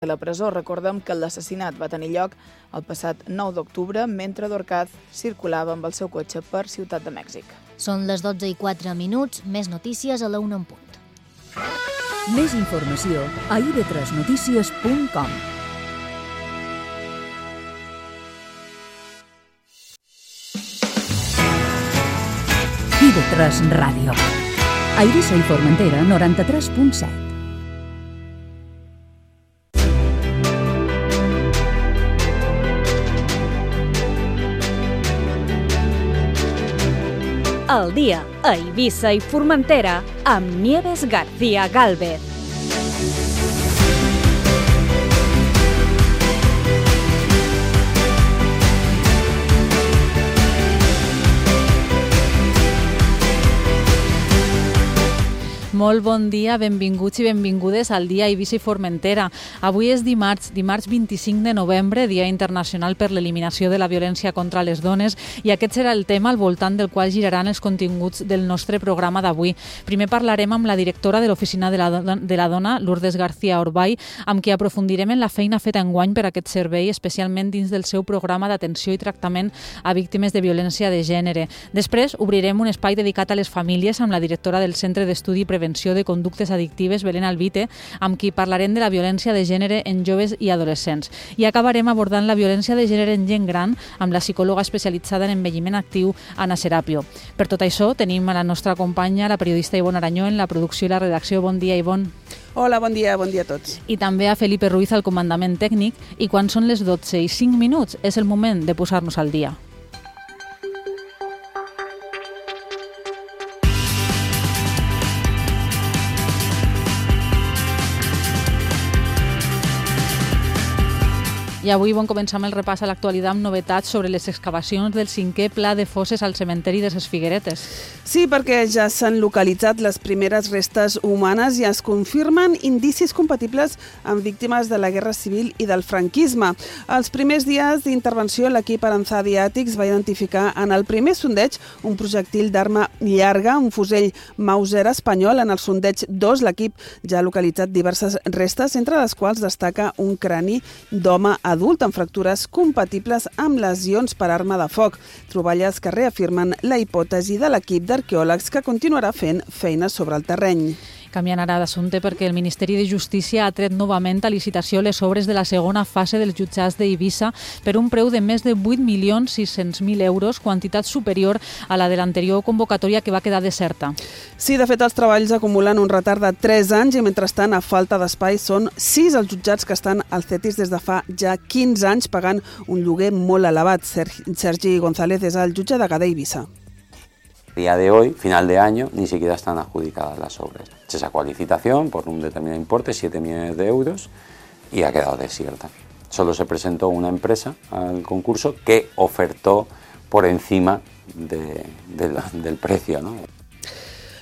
de la presó. Recordem que l'assassinat va tenir lloc el passat 9 d'octubre mentre Dorcaz circulava amb el seu cotxe per Ciutat de Mèxic. Són les 12:04, més notícies a la 1 en punt. Més informació a ib3notícies.com. IB3 Ràdio. A Eivissa i Formentera, 93.7. Al dia, a Eivissa i Formentera, amb Nieves García Gálvez. Molt bon dia, benvinguts i benvingudes al dia Eivissa i Formentera. Avui és dimarts 25 de novembre, Dia Internacional per l'Eliminació de la Violència contra les Dones, i aquest serà el tema al voltant del qual giraran els continguts del nostre programa d'avui. Primer parlarem amb la directora de l'Oficina de la Dona, Lourdes García Orbay, amb qui aprofundirem en la feina feta enguany per aquest servei, especialment dins del seu programa d'atenció i tractament a víctimes de violència de gènere. Després obrirem un espai dedicat a les famílies amb la directora del Centre d'Estudi i Prevenció de Conductes Addictives, Belén Albite, amb qui parlarem de la violència de gènere en joves i adolescents. I acabarem abordant la violència de gènere en gent gran amb la psicòloga especialitzada en envelliment actiu, Anna Serapio. Per tot això, tenim a la nostra companya, la periodista Ivonne Aranyó, en la producció i la redacció. Bon dia, Ivonne. Hola, bon dia a tots. I també a Felipe Ruiz al comandament tècnic. I quan són les 12:05, és el moment de posar-nos al dia. I avui començar el repàs a l'actualitat amb novetats sobre les excavacions del 5è pla de fosses al cementeri de ses Figueretes. Sí, perquè ja s'han localitzat les primeres restes humanes i es confirmen indicis compatibles amb víctimes de la Guerra Civil i del franquisme. Els primers dies d'intervenció, l'equip Aranzadi Àtics va identificar en el primer sondeig un projectil d'arma llarga, un fusell Mauser espanyol. En el sondeig 2, l'equip ja ha localitzat diverses restes, entre les quals destaca un crani d'home adult amb fractures compatibles amb lesions per arma de foc. Troballes que reafirmen la hipòtesi de l'equip d'arqueòlegs que continuarà fent feines sobre el terreny. Canviant ara d'assumpte, perquè el Ministeri de Justícia ha tret novament a licitació les obres de la segona fase dels jutjats d'Eivissa per un preu de més de 8.600.000 euros, quantitat superior a la de l'anterior convocatòria que va quedar deserta. Sí, de fet, els treballs acumulen un retard de 3 anys i, mentrestant, a falta d'espai, són 6 els jutjats que estan al CETIS des de fa ja 15 anys pagant un lloguer molt elevat. Sergi González és el jutge de Gada i Eivissa. A día de hoy, final de año, ni siquiera están adjudicadas las obras. Se sacó a licitación por un determinado importe, 7 millones de euros, y ha quedado desierta. Solo se presentó una empresa al concurso que ofertó por encima del precio, ¿no?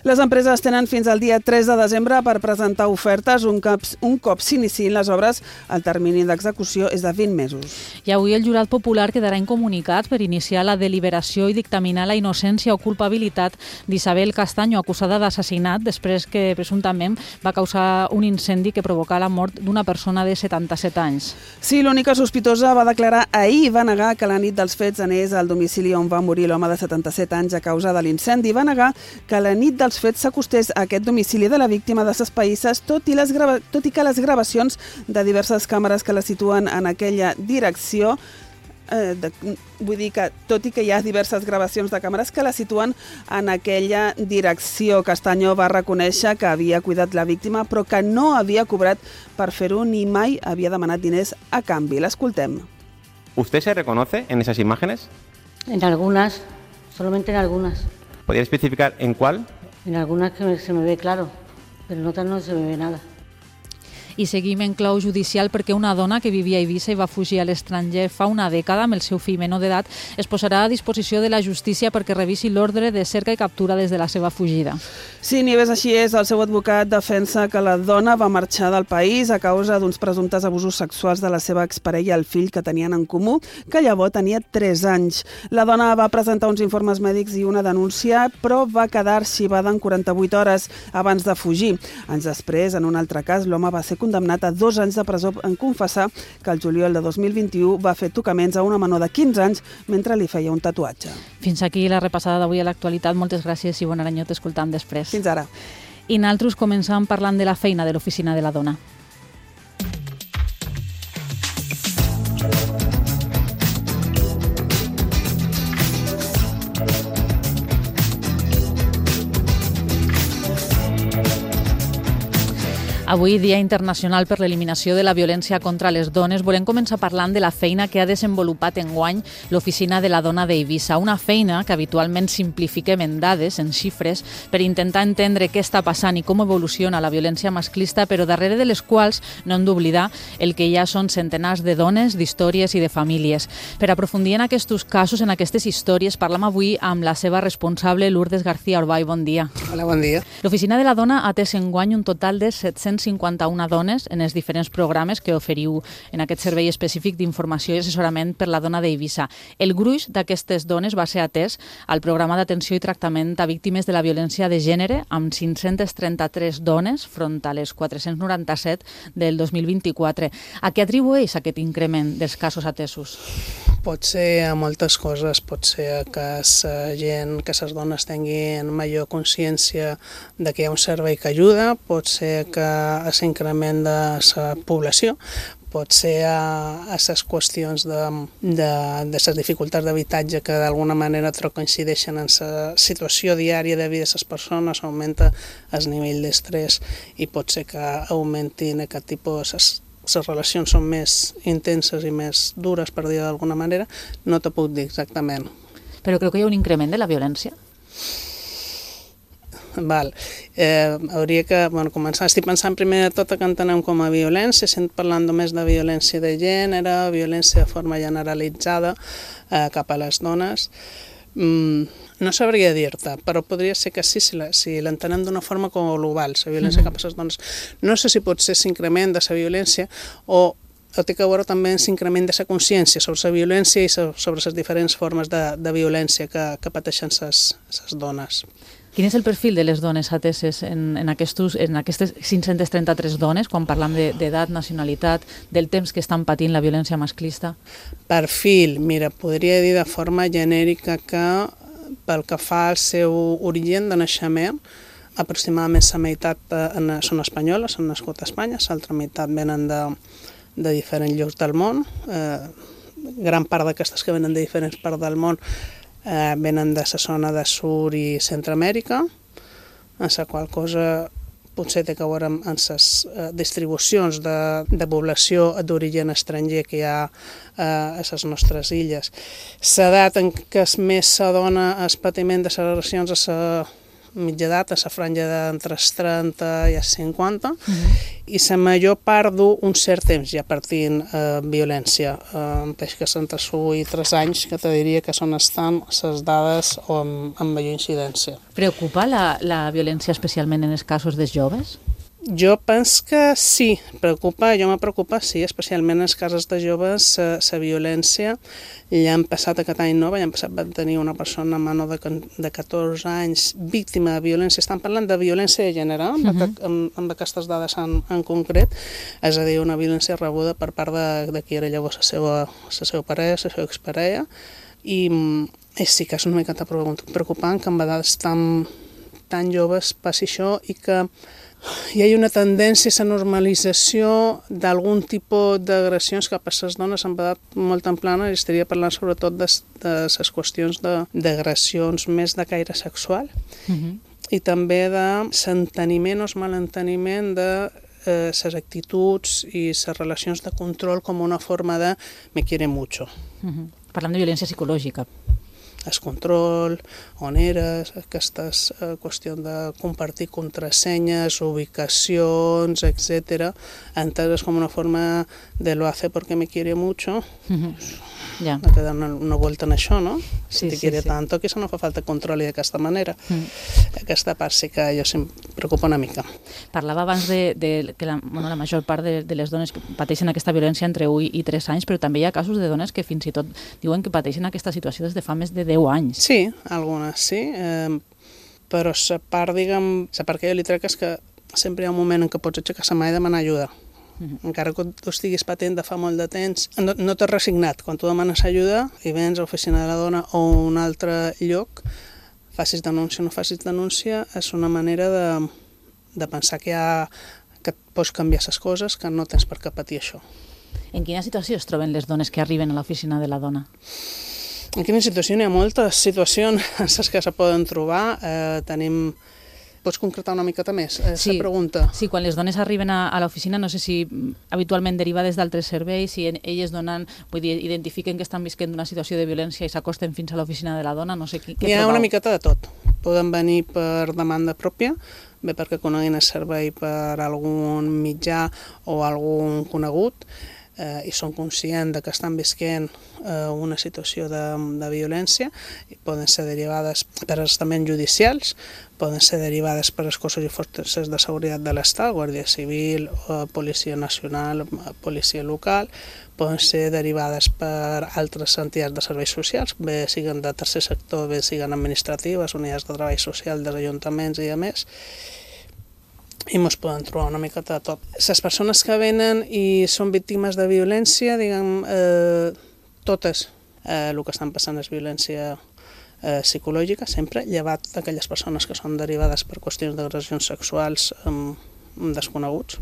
Les empreses tenen fins al dia 3 de desembre per presentar ofertes. Un cop s'iniciïn les obres, el termini d'execució és de 20 mesos. I avui el jurat popular quedarà incomunicat per iniciar la deliberació i dictaminar la innocència o culpabilitat d'Isabel Castaño, acusada d'assassinat després que presumptament va causar un incendi que provocà la mort d'una persona de 77 anys. Sí, l'única sospitosa va declarar ahir i va negar que la nit dels fets anés al domicili on va morir l'home de 77 anys a causa de l'incendi. Va negar que la nit dels fets s'acostés a aquest domicili de la víctima de ses Païsses, tot i que les gravacions de diverses càmeres que la situen en aquella direcció, tot i que hi ha diverses gravacions de càmeres que la situen en aquella direcció. Castaño va reconèixer que havia cuidat la víctima, però que no havia cobrat per fer-ho ni mai havia demanat diners a canvi. L'escoltem. ¿Usted se reconoce en esas imágenes? En algunas, solamente en algunas. ¿Podría especificar en cuál? En algunas que se me ve claro, pero en otras no se me ve nada. I seguim en clau judicial perquè una dona que vivia a Eivissa i va fugir a l'estranger fa una dècada amb el seu fill menor d'edat es posarà a disposició de la justícia perquè revisi l'ordre de cerca i captura des de la seva fugida. Sí, Nieves, així és. El seu advocat defensa que la dona va marxar del país a causa d'uns presumptes abusos sexuals de la seva exparella i el fill que tenien en comú, que llavors tenia 3 anys. La dona va presentar uns informes mèdics i una denúncia, però va quedar arxivada en 48 hores abans de fugir. Anys després, en un altre cas, l'home va ser condemnat a 2 anys de presó en confessar que el juliol de 2021 va fer tocaments a una menor de 15 anys mentre li feia un tatuatge. Fins aquí la repassada d'avui a l'actualitat. Moltes gràcies i bon any, t'escoltam després. Fins ara. I nosaltres començam parlant de la feina de l'Oficina de la Dona. Avui, Dia Internacional per l'Eliminació de la Violència contra les Dones, volem començar parlant de la feina que ha desenvolupat enguany l'Oficina de la Dona d'Eivissa. Una feina que habitualment simplifiquem en dades, en xifres, per intentar entendre què està passant i com evoluciona la violència masclista, però darrere de les quals no hem d'oblidar el que ja són centenars de dones, d'històries i de famílies. Per aprofundir en aquests casos, en aquestes històries, parlam avui amb la seva responsable, Lourdes García Orbay. Bon dia. Hola, bon dia. L'Oficina de la Dona ha atès enguany un total de 751 dones en els diferents programes que oferiu en aquest servei específic d'informació i assessorament per la dona d'Eivissa. El gruix d'aquestes dones va ser atès al programa d'atenció i tractament a víctimes de la violència de gènere amb 533 dones front a les 497 del 2024. A què atribueix aquest increment dels casos atesos? Pot ser a moltes coses, pot ser que les dones tinguin major consciència de que hi ha un servei que ajuda, pot ser que a l'increment de la població, pot ser a les qüestions de les dificultats d'habitatge que d'alguna manera coincideixen en la situació diària de vida de les persones, augmenta el nivell d'estrès i pot ser que augmentin aquest tipus les relacions són més intenses i més dures, per dir d'alguna manera, no te puc dir exactament. Però creu que hi ha un increment de la violència? Val. Hauria que començar. Estic pensant primer de tot que entenem com a violència, estem parlant només de violència de gènere, violència de forma generalitzada cap a les dones. No sabria dir-te, però podria ser que sí, si l'entenem d'una forma com global, la violència cap a les dones. No sé si pot ser l'increment de la violència o té que veure també l'increment de la consciència sobre la violència i sobre les diferents formes de violència que pateixen les dones. Quin és el perfil de les dones ateses en aquestes 533 dones, quan parlam d'edat, nacionalitat, del temps que estan patint la violència masclista? Perfil, mira, podria dir de forma genèrica que pel que fa al seu origen de naixement, aproximadament la meitat són espanyoles, han nascut a Espanya, l'altra meitat venen de diferents llocs del món. Gran part d'aquestes que venen de diferents parts del món venen de la zona de Sud i Centroamèrica, en la qual cosa potser té que veure amb les distribucions de població d'origen estranger que hi ha a les nostres illes. L'edat en què més s'adona el patiment de les relacions a la mitja edat, a la franja d'entre els 30 i els 50, i la major part d'un cert temps ja partint violència. Peix que són entre 1 i 3 anys, que te diria que són estan les dades amb major incidència. Preocupa la violència especialment en els casos dels joves? Jo penso que sí, m'ha preocupat, sí, especialment en els casos de joves, la violència. L'any passat, aquest any nou, l'any passat vam tenir una persona menor de 14 anys víctima de violència. Estan parlant de violència de gènere, amb aquestes dades en concret, és a dir, una violència rebuda per part de qui era llavors la seva parella, la seva exparella, i sí que és una mica preocupant que amb edats tan joves passi això i que hi ha una tendència a la normalització d'algun tipus d'agressions cap a les dones en edat molt temprana, i estaria parlant sobretot de les qüestions d'agressions més de caire sexual i també de l'enteniment o el malenteniment de les actituds i les relacions de control com una forma de me quiere mucho. Parlant de violència psicològica. El control, on eres, aquesta qüestió de compartir contrasenyes, ubicacions, etc., enteses com una forma de lo hace porque me quiere mucho. Ja. Ha de dar una vuelta en això, no? Si te quiere tanto, que eso no fa falta control d'aquesta manera. Aquesta part sí que jo em preocupa una mica. Parlava abans que la major part de les dones que pateixen aquesta violència entre 1 i 3 anys, però també hi ha casos de dones que fins i tot diuen que pateixen aquesta situació des de fa més de 10 anys. Sí, algunes sí, però la part que jo li trec és que sempre hi ha un moment en què pots aixecar la mà i demanar ajuda. Encara que tu estiguis patent de fa molt de temps, no t'has resignat. Quan tu demanes ajuda i vens a l'oficina de la dona o a un altre lloc, facis denúncia o no facis denúncia, és una manera de pensar que pots canviar les coses, que no tens per què patir això. En quina situació es troben les dones que arriben a l'oficina de la dona? En quina situació? N'hi ha moltes situacions que se poden trobar. Pots concretar una miqueta més la pregunta? Sí, quan les dones arriben a l'oficina, no sé si habitualment derivades d'altres serveis, si elles identifiquen que estan visquent una situació de violència i s'acosten fins a l'oficina de la dona, no sé què trobeu. Hi ha una miqueta de tot. Poden venir per demanda pròpia, bé perquè coneguin el servei per algun mitjà o algun conegut, i són conscients de que estan visquent una situació de violència, poden ser derivades per estaments judicials, poden ser derivades per els cossos i forces de seguretat de l'Estat, Guàrdia Civil, Policia Nacional, Policia Local, poden ser derivades per altres entitats de serveis socials, bé siguin de tercer sector, bé siguin administratives, unitats de treball social dels ajuntaments i a més, i ens poden trobar una miqueta de tot. Les persones que venen i són víctimes de violència, diguem, totes el que estan passant és violència psicològica, sempre, llevat d'aquelles persones que són derivades per qüestions d'agressions sexuals desconeguts.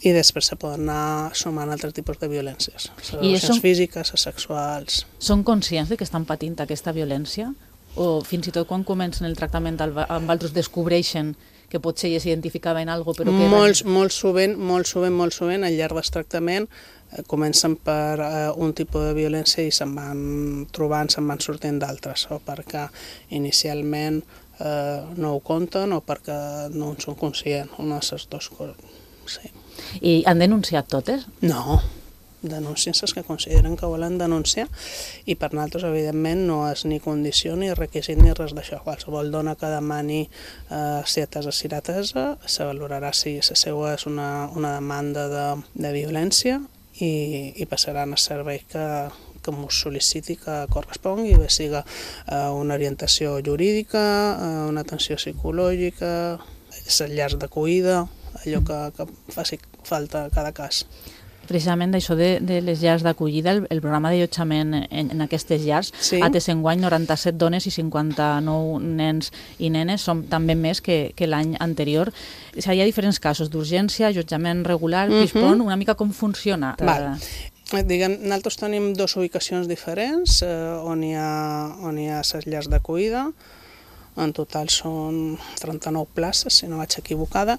I després se poden anar sumant altres tipus de violències, les físiques, les sexuals. Són conscients de que estan patint aquesta violència? O fins i tot quan comencen el tractament amb altres descobreixen que potser ja s'identificaven alguna cosa, però que... Molt sovint, al llarg del tractament, comencen per un tipus de violència i se'n van trobant, se'n van sortint d'altres, o perquè inicialment no ho compten o perquè no en són conscients, una de les dues coses. Sí. I han denunciat totes? No. Denuncien les que consideren que volen denunciar i per nosaltres, evidentment, no és ni condició ni requisit ni res d'això. Qualsevol dona que demani ser atesa si l'atesa, se valorarà si la seva és una demanda de violència i passaran a servei que ens sol·liciti que correspongui, bé siga una orientació jurídica, una atenció psicològica, les llars d'acollida, allò que faci falta a cada cas. Precisament d'això de les llars d'acollida, el programa d'allotjament en aquestes llars ha atès enguany 97 dones i 59 nens i nenes, són també més que l'any anterior. Hi ha diferents casos d'urgència, allotjament regular, PISPON, una mica com funciona? Nosaltres tenim dues ubicacions diferents on hi ha les llars d'acollida. En total són 39 places, si no vaig equivocada,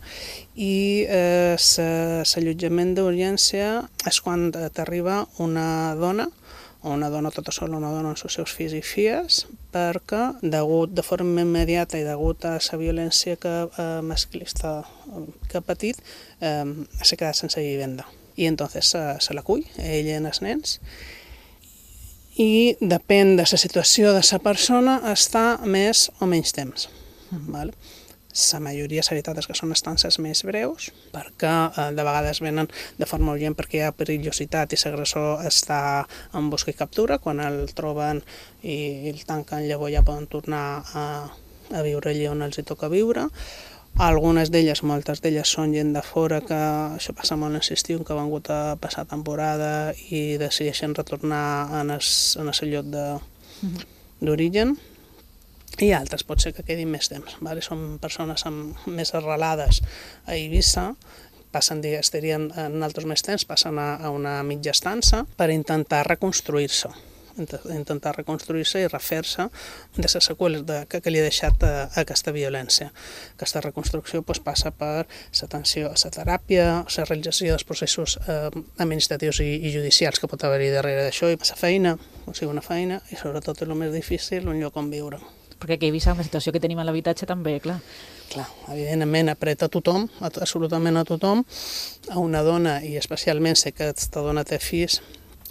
i l'allotjament d'urgència és quan t'arriba una dona, o una dona tota sola, una dona amb els seus fills i filles, perquè de forma immediata i degut a la violència masclista que ha patit, s'ha quedat sense vivenda. I entonces se l'acull, ella i els nens, i depèn de la situació de la persona, està més o menys temps. La majoria, la veritat, és que són estances més breus, perquè de vegades venen de forma urgent perquè hi ha perillositat i l'agressor està en busca i captura. Quan el troben i el tanquen, llavors ja poden tornar a viure allà on els hi toca viure. Algunes d'elles, moltes d'elles, són gent de fora, que això passa molt en l'estiu, que han vingut a passar temporada i decideixen retornar en el lloc d'origen. I altres pot ser que quedin més temps. Són persones més arrelades a Eivissa, estarien en altres més temps, passen a una mitja estança per intentar reconstruir-se i refer-se de les seqüeles que li ha deixat aquesta violència. Aquesta reconstrucció passa per l'atenció a la teràpia, la realització dels processos administratius i judicials que pot haver-hi darrere d'això, i la feina, una feina, i sobretot el més difícil, un lloc on viure. Perquè aquí a Eivissa, amb la situació que tenim a l'habitatge, també, clar. Clar, evidentment apreta a tothom, absolutament a tothom, a una dona, i especialment si aquesta dona té fills,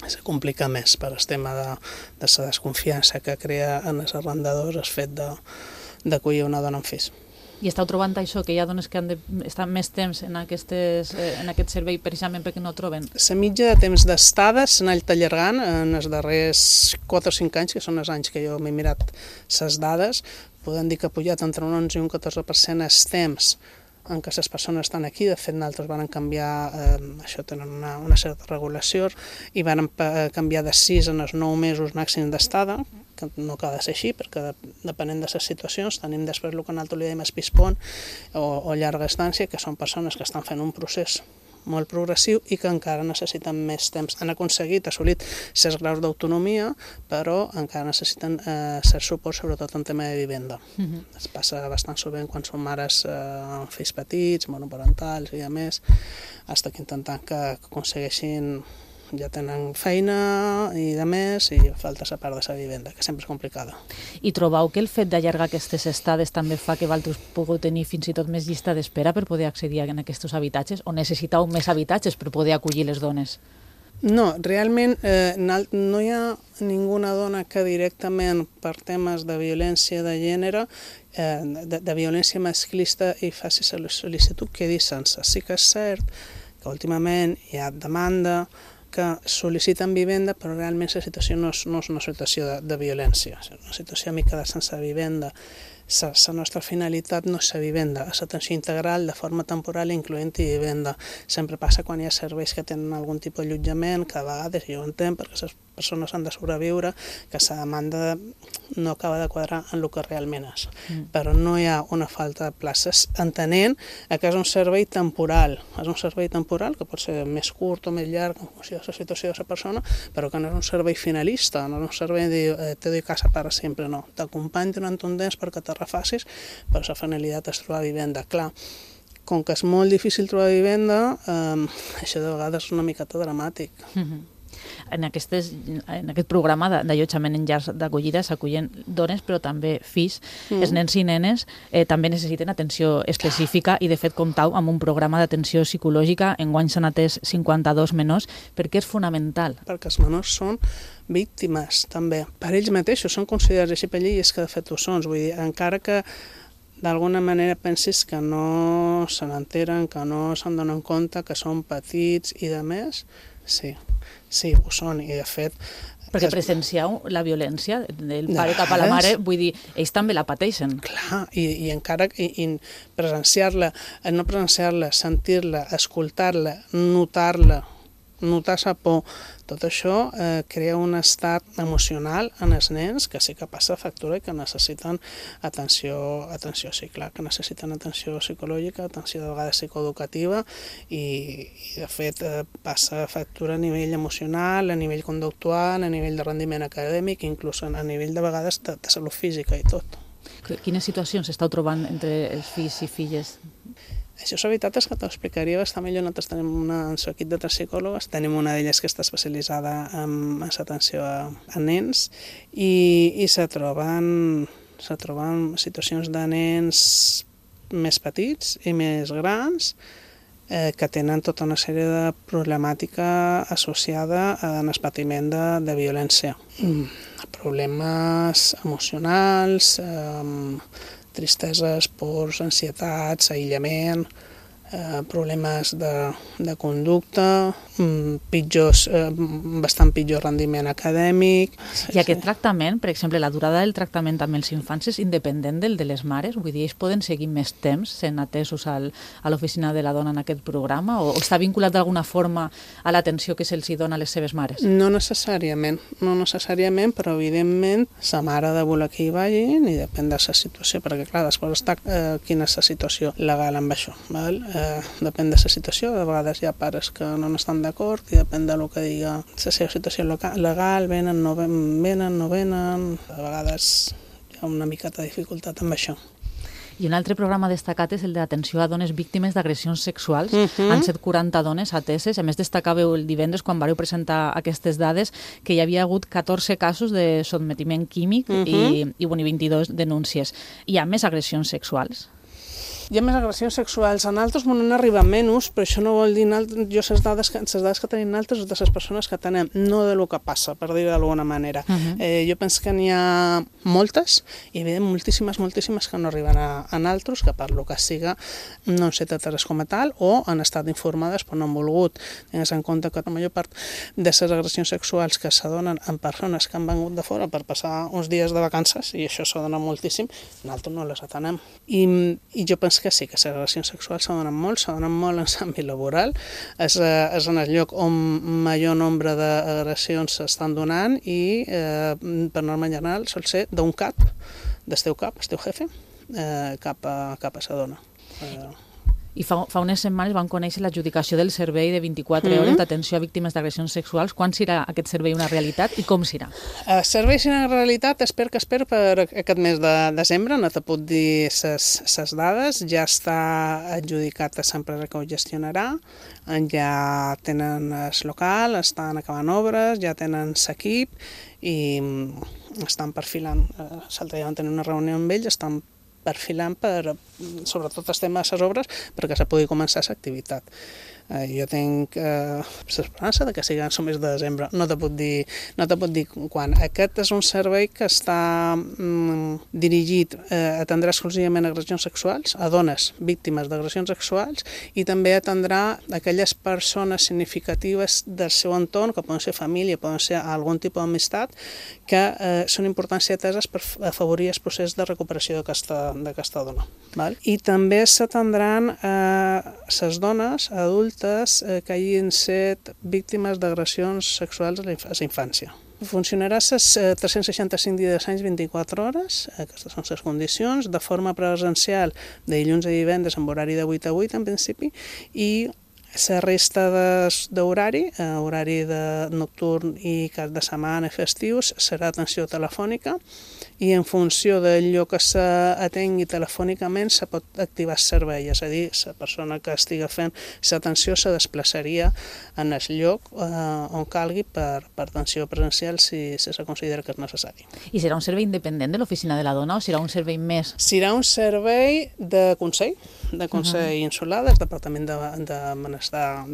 se complica més per el tema de la desconfiança que crea en els arrendadors el fet d'acollir una dona amb fills. I esteu trobant això, que hi ha dones que han d'estar més temps en aquest servei precisament perquè no troben? La mitja de temps d'estada s'ha anat allargant en els darrers 4 o 5 anys, que són els anys que jo m'he mirat les dades. Podem dir que ha pujat entre un 11 i un 14% el temps en què les persones estan aquí. De fet, nosaltres van canviar, això tenen una certa regulació, i van canviar de 6 a 9 mesos màxim d'estada, que no acaba de ser així, perquè depenent de les situacions tenim després el que nosaltres li dèiem espispont o llarga estància, que són persones que estan fent un procés molt progressiu i que encara necessiten més temps. Han aconseguit, assolit certs graus d'autonomia, però encara necessiten cert suport, sobretot en tema de vivenda. Es passa bastant sovint quan són mares amb fills petits, monoparentals i a més, fins que intentant que aconsegueixin, ja tenen feina i de més, i falta la part de la vivenda, que sempre és complicada. I trobeu que el fet d'allargar aquestes estades també fa que vosaltres pugueu tenir fins i tot més llista d'espera per poder accedir a aquests habitatges, o necessiteu més habitatges per poder acollir les dones? No, realment no hi ha ninguna dona que directament per temes de violència de gènere, de violència masclista, i faci la sol·licitud quedi sense. Sí que és cert que últimament hi ha demanda que sol·liciten vivenda, però realment la situació no és una situació de violència, és una situació mica de sense vivenda. La nostra finalitat no és la vivenda, és l'atenció integral de forma temporal, incloent-hi vivenda. Sempre passa quan hi ha serveis que tenen algun tipus d'allotjament, que a vegades, jo ho entenc, perquè les persones han de sobreviure, que la demanda no acaba de quadrar en el que realment és. Però no hi ha una falta de places, entenent que és un servei temporal. És un servei temporal que pot ser més curt o més llarg en funció de la situació de la persona, però que no és un servei finalista, no és un servei de te doy casa para sempre, no. T'acompanyo durant un temps perquè te refacis, però la finalitat és trobar vivenda. Clar, com que és molt difícil trobar vivenda, això de vegades és una miqueta dramàtic. En aquest programa d'allotjament en llars d'acollida s'acullen dones, però també fills. Els nens i nenes també necessiten atenció específica i, de fet, comptau amb un programa d'atenció psicològica. Enguany s'han atès 52 menors. Per què és fonamental? Perquè els menors són víctimes, també. Per ells mateixos són considerats així per llei, i és que de fet ho són. Vull dir, encara que d'alguna manera pensis que no se n'enteren, que no se'n donen compte, que són petits i de més, sí, ho són, i de fet... Perquè presencieu la violència del pare cap a la mare, vull dir, ells també la pateixen. Clar, i encara presenciar-la, no presenciar-la, sentir-la, escoltar-la, notar-la, notar la por, tot això crea un estat emocional en els nens que sí que passa factura i que necessiten atenció, sí, clar, que necessiten atenció psicològica, atenció de vegades psicoeducativa, i de fet passa factura a nivell emocional, a nivell conductual, a nivell de rendiment acadèmic, inclús a nivell de vegades de salut física i tot. Quines situacions esteu trobant entre els fills i filles? Això, la veritat és que t'ho explicaria bastant millor. Nosaltres tenim en el equip de 3 psicòlogues, tenim una d'elles que està especialitzada en l'atenció a nens, i se troben situacions de nens més petits i més grans que tenen tota una sèrie de problemàtica associada en el patiment de violència. Problemes emocionals, tristeses, pors, ansietats, aïllament, problemes de conducta, bastant pitjor rendiment acadèmic. I aquest tractament, per exemple, la durada del tractament amb els infants és independent del de les mares? Vull dir, ells poden seguir més temps sent atesos a l'oficina de la dona en aquest programa, o està vinculat d'alguna forma a l'atenció que se'ls dona a les seves mares? No necessàriament, però evidentment la mare ha de voler que hi vagin, i depèn de la situació, perquè clar, després està quina és la situació legal amb això, val? Depèn de la situació, de vegades hi ha pares que no estan d'acord, i depèn del que diga la seva situació legal, venen, no venen, a vegades hi ha una miqueta de dificultat amb això. I un altre programa destacat és el d'atenció a dones víctimes d'agressions sexuals. Han estat 40 dones ateses. A més, destacàveu el divendres, quan vareu presentar aquestes dades, que hi havia hagut 14 casos de sotmetiment químic i 22 denúncies. Hi ha més agressions sexuals? Hi ha més agressions sexuals. En altres n'han arribat menys, però això no vol dir... Jo les dades que tenim altres de les persones que tenem, no de lo que passa, per dir-ho d'alguna manera. Jo penso que n'hi ha moltes, i moltíssimes que no arriben a altres, que per lo que siga no han estat ateses com a tal, o han estat informades però no han volgut. Tingues en compte que la major part de les agressions sexuals que s'adonen en persones que han vengut de fora per passar uns dies de vacances, i això s'adona moltíssim, nosaltres no les atenem. I jo penso és que sí, que les agressions sexuals se donen molt en l'àmbit laboral, és en el lloc on major nombre d'agressions s'estan donant i per norma general sol ser d'un cap, del teu cap, el teu jefe, cap a la dona. I fa unes setmanes vam conèixer l'adjudicació del servei de 24 hores d'atenció a víctimes d'agressions sexuals. Quan serà aquest servei una realitat i com serà? El servei serà una realitat, espero per aquest mes de desembre, no te puc dir les dades, ja està adjudicat a l'empresa que ho gestionarà, ja tenen el local, estan acabant obres, ja tenen l'equip i estan perfilant. L'altre dia vam tenir una reunió amb ells, estan perfilant sobretot el tema de les obres perquè se pugui començar l'activitat. Jo tinc l'esperança que sigui en el mes de desembre, no te puc dir quan. Aquest és un servei que està dirigit a atendre exclusivament agressions sexuals, a dones víctimes d'agressions sexuals, i també atendrà aquelles persones significatives del seu entorn, que poden ser família, poden ser algun tipus d'amistat, que són importants i ateses per afavorir el procés de recuperació d'aquesta dona. I també s'atendran les dones adultes que hagin estat víctimes d'agressions sexuals a la infància. Funcionarà les 365 dies d'any 24 hores, aquestes són les condicions, de forma presencial de dilluns a divendres amb horari de 8 a 8 en principi, i la resta d'horari, horari nocturn i cap de setmana i festius, serà atenció telefònica, i en funció del lloc que s'atengui telefònicament se pot activar el servei, és a dir, la persona que estigui fent l'atenció se desplaçaria en el lloc on calgui per atenció presencial si se considera que és necessari. I serà un servei independent de l'Oficina de la Dona o serà un servei més? Serà un servei de Consell Insular, del Departament de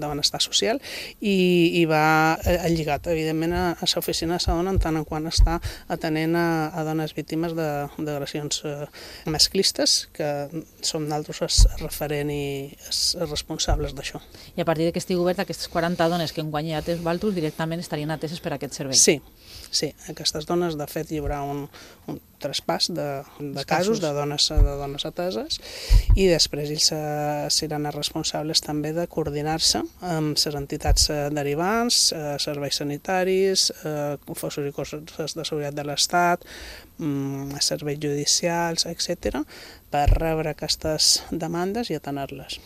Benestar Social, i va lligat, evidentment, a l'Oficina de la Dona en tant en quant està atenent a dones víctimes d'agressions masclistes, que som nosaltres els referent i els responsables d'això. I a partir que estigui obert, aquestes 40 dones que enguany ja tens valtros directament estarien ateses per aquest servei? Sí, aquestes dones, de fet, hi haurà un traspàs de casos de dones ateses, i després ells seran els responsables també de coordinar-se amb les entitats derivants, serveis sanitaris, cossos i cossos de seguretat de l'Estat, serveis judicials, etc., per rebre aquestes demandes i atener-les.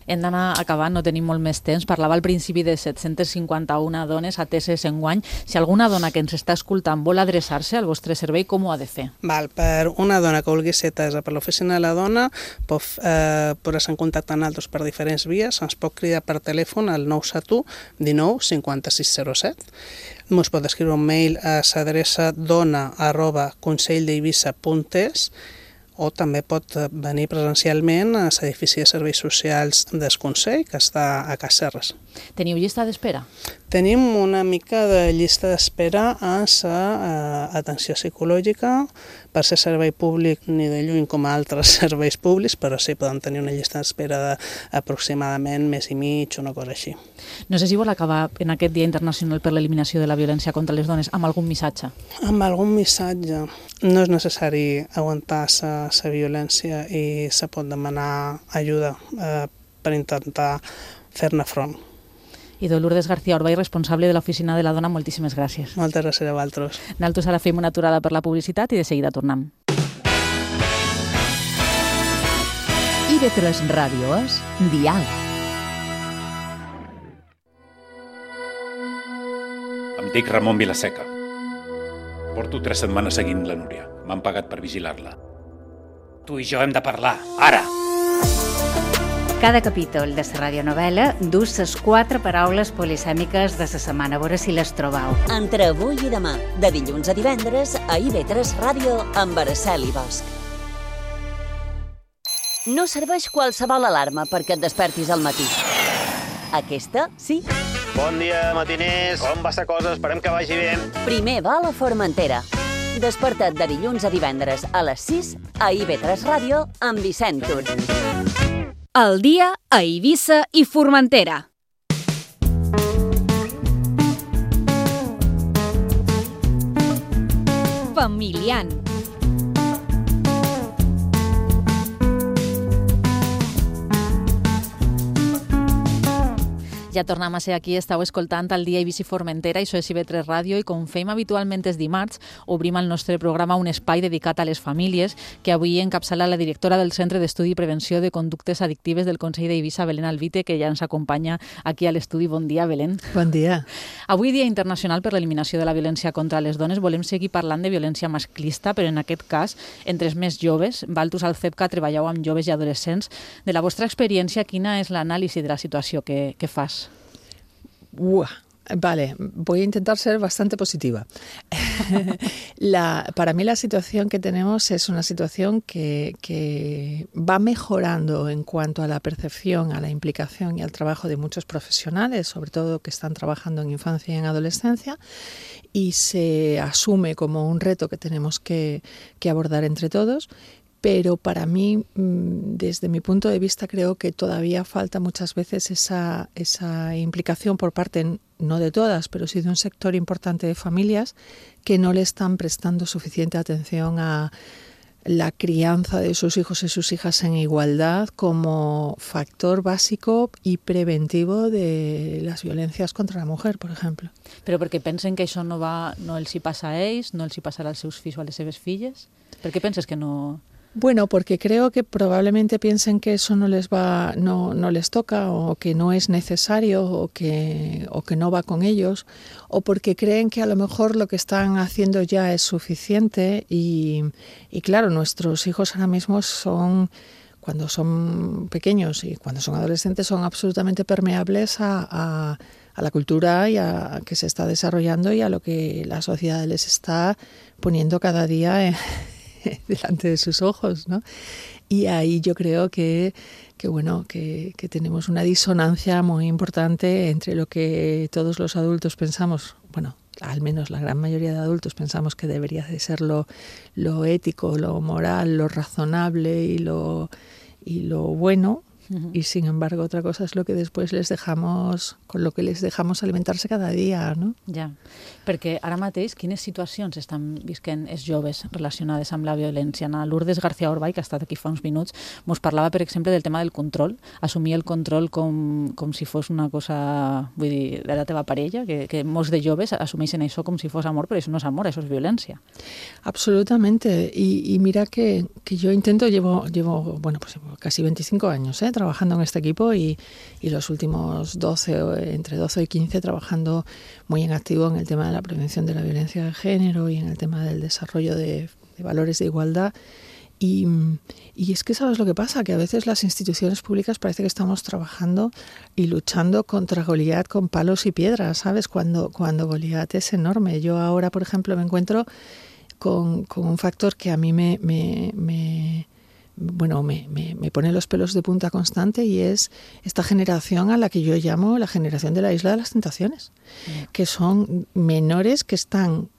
Hem d'anar acabant, no tenim molt més temps. Parlava al principi de 751 dones ateses enguany. Si alguna dona que ens està escoltant vol adreçar-se al vostre servei, com ho ha de fer? Per una dona que vulgui ser atesa per l'Oficina de la Dona, pot posar-se en contacte amb nosaltres per diferents vies. Ens pot cridar per telèfon al 971 19 5607. Ens pot escriure un mail a l'adreça dona@conselld'Eivissa.es, o també pot venir presencialment a l'edifici de serveis socials del Consell, que està a Cas Serres. Teniu llista d'espera? Tenim una mica de llista d'espera a l'atenció psicològica, per ser servei públic ni de lluny com a altres serveis públics, però sí, podem tenir una llista d'espera d'aproximadament mes i mig, una cosa així. No sé si vol acabar en aquest Dia Internacional per l'Eliminació de la Violència contra les Dones amb algun missatge. Amb algun missatge. No és necessari aguantar la violència i se pot demanar ajuda per intentar fer-ne front. I Lourdes García Orbai, responsable de l'Oficina de la Dona, moltíssimes gràcies. Moltes gràcies a vosaltres. Nosaltres ara fem una aturada per la publicitat i de seguida tornem. IB3 Ràdio és Diàleg. Em dic Ramon Vilaseca. Porto 3 setmanes seguint la Núria. M'han pagat per vigilar-la. Tu i jo hem de parlar, ara! Cada capítol de la radionovel·la dus les 4 paraules polisèmiques de la setmana, a veure si les trobau. Entre avui i demà, de dilluns a divendres, a IB3 Ràdio amb Araceli Bosch. No serveix qualsevol alarma perquè et despertis al matí. Aquesta, sí. Bon dia, matiners. Com va la cosa? Esperem que vagi bé. Primer va a la Formentera. Desperta't de dilluns a divendres a les 6 a IB3 Ràdio amb Vicent Tur. El dia a Eivissa i Formentera. Familian. Ja tornem a ser aquí, estàu escoltant el dia Eivissa i Formentera, això és IB3 Ràdio, i com fem habitualment els dimarts, obrim al nostre programa un espai dedicat a les famílies, que avui encapçala la directora del Centre d'Estudi i Prevenció de Conductes Addictives del Consell d'Eivissa, Belén Alvite, que ja ens acompanya aquí a l'estudi. Bon dia, Belén. Bon dia. Avui, Dia Internacional per l'Eliminació de la Violència contra les Dones, volem seguir parlant de violència masclista, però en aquest cas, entre els més joves. Valtus al CEPCA treballeu amb joves i adolescents. De la vostra experiència, quina és l'anàlisi de la situació que fas? Vale, voy a intentar ser bastante positiva. Para mí la situación que tenemos es una situación que va mejorando en cuanto a la percepción, a la implicación y al trabajo de muchos profesionales, sobre todo que están trabajando en infancia y en adolescencia, y se asume como un reto que tenemos que abordar entre todos. Pero para mí, desde mi punto de vista, creo que todavía falta muchas veces esa implicación por parte, no de todas, pero sí de un sector importante de familias que no le están prestando suficiente atención a la crianza de sus hijos y sus hijas en igualdad como factor básico y preventivo de las violencias contra la mujer, por ejemplo. Però perquè pensen que això no els hi passa a ells, no els hi passarà als seus fills o a les seves filles? Per què penses que no...? Bueno, porque creo que probablemente piensen que eso no les toca, o que no es necesario, o que no va con ellos, o porque creen que a lo mejor lo que están haciendo ya es suficiente y claro, nuestros hijos ahora mismo cuando son pequeños y cuando son adolescentes, son absolutamente permeables a la cultura y a que se está desarrollando y a lo que la sociedad les está poniendo cada día delante de sus ojos, ¿no? Y ahí yo creo que tenemos una disonancia muy importante entre lo que todos los adultos pensamos, bueno, al menos la gran mayoría de adultos pensamos que debería de ser lo ético, lo moral, lo razonable y lo bueno. Y sin embargo otra cosa es lo que después con lo que les dejamos alimentarse cada dia, no? Ja, perquè ara mateix quines situacions estan visquent els joves relacionades amb la violència? Lourdes García Orbay, que ha estat aquí fa uns minuts, ens parlava, per exemple, del tema del control, assumir el control com si fos una cosa, vull dir, de la teva parella, que molts de joves assumeixen això com si fos amor, però això no és amor, això és violència. Absolutamente, y mira que yo llevo casi 25 años, trabajando en este equipo y los últimos entre 12 y 15 trabajando muy en activo en el tema de la prevención de la violencia de género y en el tema del desarrollo de valores de igualdad. Y es que ¿sabes lo que pasa? Que a veces las instituciones públicas parece que estamos trabajando y luchando contra Goliat con palos y piedras, ¿sabes? Cuando Goliat es enorme. Yo ahora, por ejemplo, me encuentro con un factor que a mí me pone los pelos de punta constante, y es esta generación a la que yo llamo la generación de la Isla de las Tentaciones, que son menores que están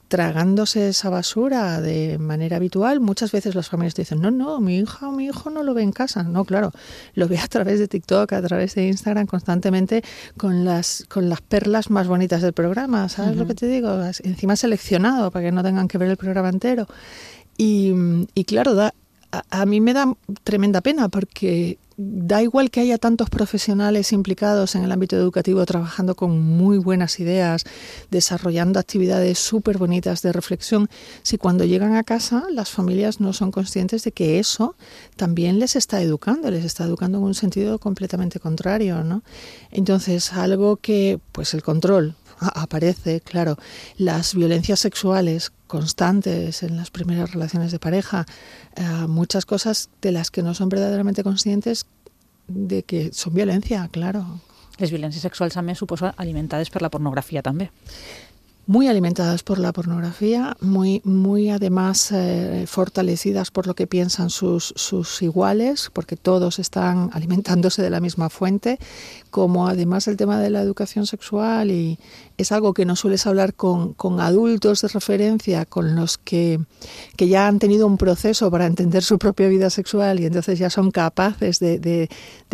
tragándose esa basura de manera habitual. Muchas veces las familias te dicen, no, mi hija o mi hijo no lo ve en casa. No, claro, lo ve a través de TikTok, a través de Instagram, constantemente con las perlas más bonitas del programa, ¿sabes lo que te digo? Encima seleccionado para que no tengan que ver el programa entero. Y claro, a mí me da tremenda pena, porque da igual que haya tantos profesionales implicados en el ámbito educativo trabajando con muy buenas ideas, desarrollando actividades súper bonitas de reflexión, si cuando llegan a casa las familias no son conscientes de que eso también les está educando en un sentido completamente contrario, ¿no? Entonces, algo que, pues el control aparece, claro, las violencias sexuales constantes en las primeras relaciones de pareja, muchas cosas de las que no son verdaderamente conscientes de que son violencia, claro. Les violències sexuals, a més, suposo, alimentades per la pornografia també. Muy alimentadas por la pornografía, muy además fortalecidas por lo que piensan sus iguales, porque todos están alimentándose de la misma fuente, como además el tema de la educación sexual, y es algo que no sueles hablar con adultos de referencia, con los que ya han tenido un proceso para entender su propia vida sexual y entonces ya son capaces de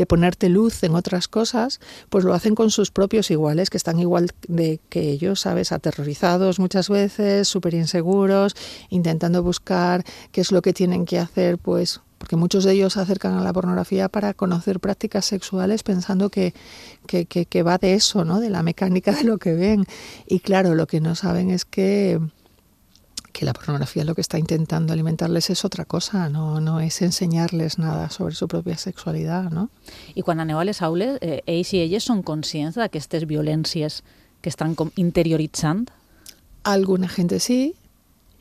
ponerte luz en otras cosas, pues lo hacen con sus propios iguales, que están igual que ellos, ¿sabes? Aterrorizados muchas veces, súper inseguros, intentando buscar qué es lo que tienen que hacer, pues porque muchos de ellos se acercan a la pornografía para conocer prácticas sexuales pensando que va de eso, ¿no? De la mecánica de lo que ven. Y claro, lo que no saben es que la pornografía lo que está intentando alimentarles es otra cosa, no es ensenyar-les nada sobre su pròpia sexualitat, no? I quan aneu a les aules, ells i elles són conscients d'aquestes violències que estan com interioritzant? Alguna gente sí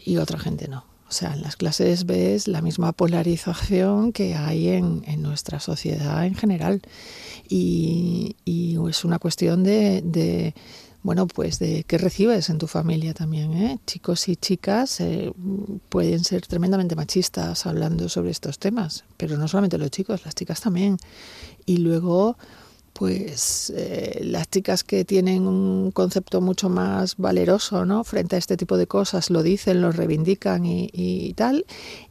y otra gente no. O sea, en las clases ves la misma polarización que hay en nuestra sociedad en general. Y es una cuestión de qué recibes en tu familia también, ¿eh? Chicos y chicas pueden ser tremendamente machistas hablando sobre estos temas, pero no solamente los chicos, las chicas también. Y luego, pues las chicas que tienen un concepto mucho más valeroso, ¿no?, frente a este tipo de cosas, lo dicen, lo reivindican y tal.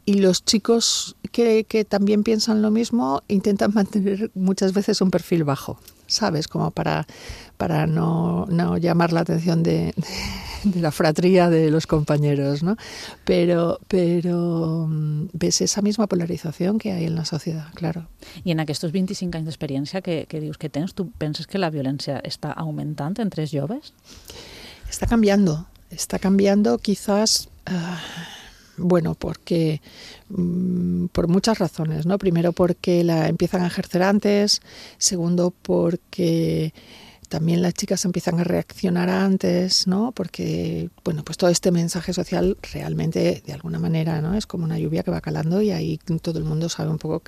Y los chicos que también piensan lo mismo intentan mantener muchas veces un perfil bajo, ¿sabes? Como para no llamar la atención de la fratría de los compañeros, ¿no? Pero ves esa misma polarización que hay en la sociedad, claro. I en aquests 25 anys d'experiència que dius que tens, tu penses que la violència està augmentant entre els joves? Está cambiando quizás... porque por muchas razones, ¿no? Primero porque la empiezan a ejercer antes, segundo porque también las chicas empiezan a reaccionar antes, ¿no? Porque, pues todo este mensaje social realmente, de alguna manera, ¿no?, es como una lluvia que va calando y ahí todo el mundo sabe un poco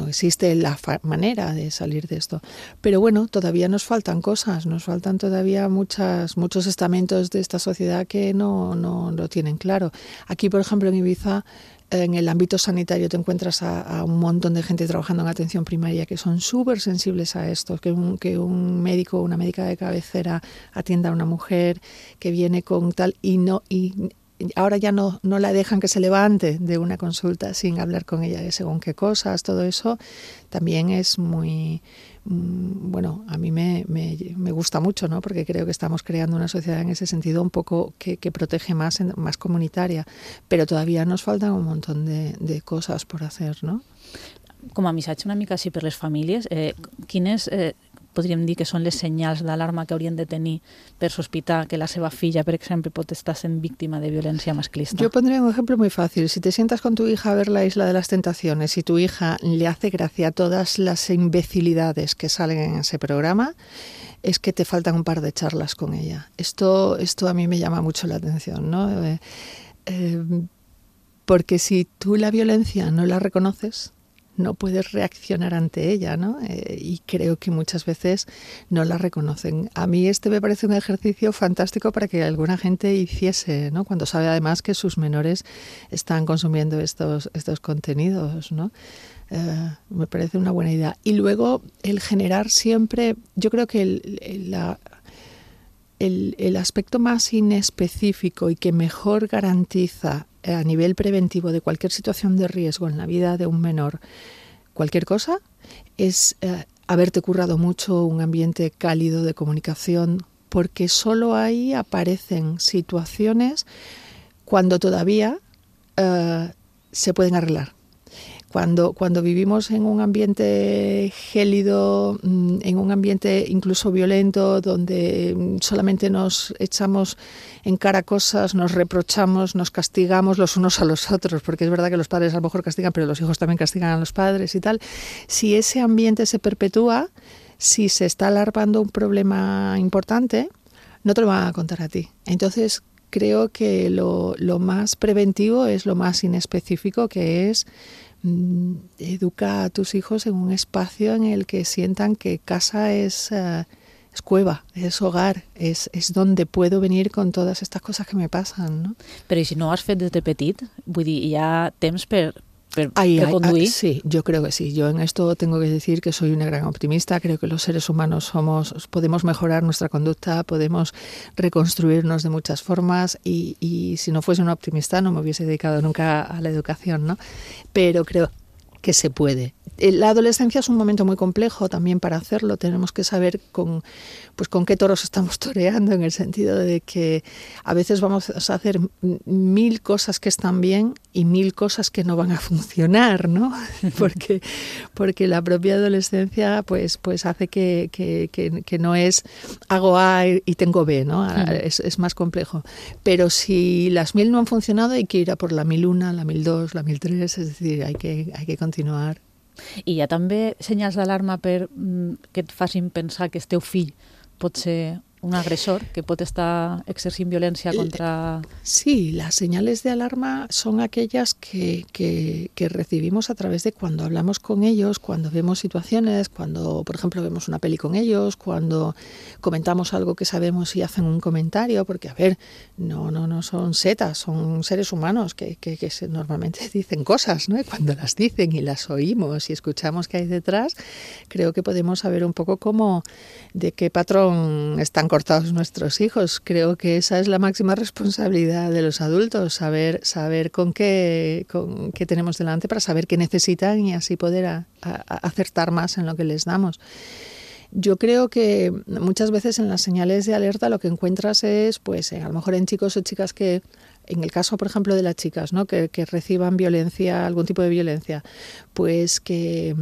existe la manera de salir de esto. Pero todavía nos faltan cosas, nos faltan todavía muchos estamentos de esta sociedad que no lo tienen claro. Aquí, por ejemplo, en Ibiza, en el ámbito sanitario te encuentras a un montón de gente trabajando en atención primaria que son súper sensibles a esto, que un médico o una médica de cabecera atienda a una mujer que viene con tal y ahora ya no la dejan que se levante de una consulta sin hablar con ella de según qué cosas. Todo eso también es muy... a mí me gusta mucho, ¿no? Porque creo que estamos creando una sociedad en ese sentido un poco que protege más comunitaria, pero todavía nos faltan un montón de cosas por hacer, ¿no? Com a missatge una mica així per les famílies, quines... podríem dir que són les senyals d'alarma que haurien de tenir per sospitar que la seva filla, por ejemplo, pot estar sent víctima de violencia masclista. Yo pondría un ejemplo muy fácil. Si te sientas con tu hija a ver La Isla de las Tentaciones y tu hija le hace gracia todas las imbecilidades que salen en ese programa, es que te faltan un par de charlas con ella. Esto a mí me llama mucho la atención, ¿no? Porque si tú la violencia no la reconoces, no puedes reaccionar ante ella, ¿no? Y creo que muchas veces no la reconocen. A mí me parece un ejercicio fantástico para que alguna gente hiciese, ¿no? Cuando sabe además que sus menores están consumiendo estos contenidos, ¿no? Me parece una buena idea. Y luego el generar siempre, yo creo que el aspecto más inespecífico y que mejor garantiza a nivel preventivo de cualquier situación de riesgo en la vida de un menor, cualquier cosa, es haberte currado mucho un ambiente cálido de comunicación, porque solo ahí aparecen situaciones cuando todavía se pueden arreglar. Cuando vivimos en un ambiente gélido, en un ambiente incluso violento, donde solamente nos echamos en cara cosas, nos reprochamos, nos castigamos los unos a los otros, porque es verdad que los padres a lo mejor castigan, pero los hijos también castigan a los padres y tal. Si ese ambiente se perpetúa, si se está alarmando un problema importante, no te lo van a contar a ti. Entonces, creo que lo más preventivo es lo más inespecífico, que es educa a tus hijos en un espacio en el que sientan que casa es cueva, es hogar, es donde puedo venir con todas estas cosas que me pasan, ¿no? Però i si no ho has fet des de petit, vull dir, hi ha temps per conduir? Sí, yo creo que sí. Yo en esto tengo que decir que soy una gran optimista. Creo que los seres humanos podemos mejorar nuestra conducta, podemos reconstruirnos de muchas formas y si no fuese una optimista no me hubiese dedicado nunca a la educación, ¿no? Pero creo que se puede. La adolescencia es un momento muy complejo también para hacerlo. Tenemos que saber con qué toros estamos toreando, en el sentido de que a veces vamos a hacer 1000 cosas que están bien y 1000 cosas que no van a funcionar, ¿no? Porque la propia adolescencia pues hace que no es hago A y tengo B, ¿no? Es más complejo. Pero si las 1000 no han funcionado, hay que ir a por la 1001, la 1002, la 1003, es decir, hay que continuar. I hi ha també senyals d'alarma que et facin pensar que el teu fill pot ser un agresor, que pot estar exercint violència contra... Sí, las señales de alarma son aquellas que recibimos a través de cuando hablamos con ellos, cuando vemos situaciones, cuando, por ejemplo, vemos una peli con ellos, cuando comentamos algo que sabemos y hacen un comentario, porque, a ver, no son setas, son seres humanos que normalmente dicen cosas, ¿no? Y cuando las dicen y las oímos y escuchamos qué hay detrás, creo que podemos saber un poco de qué patrón están cortados nuestros hijos. Creo que esa es la máxima responsabilidad de los adultos, saber con qué tenemos delante para saber qué necesitan y así poder acertar más en lo que les damos. Yo creo que muchas veces en las señales de alerta lo que encuentras es, pues, a lo mejor en chicos o chicas que, en el caso, por ejemplo, de las chicas, ¿no? que reciban violencia, algún tipo de violencia, pues que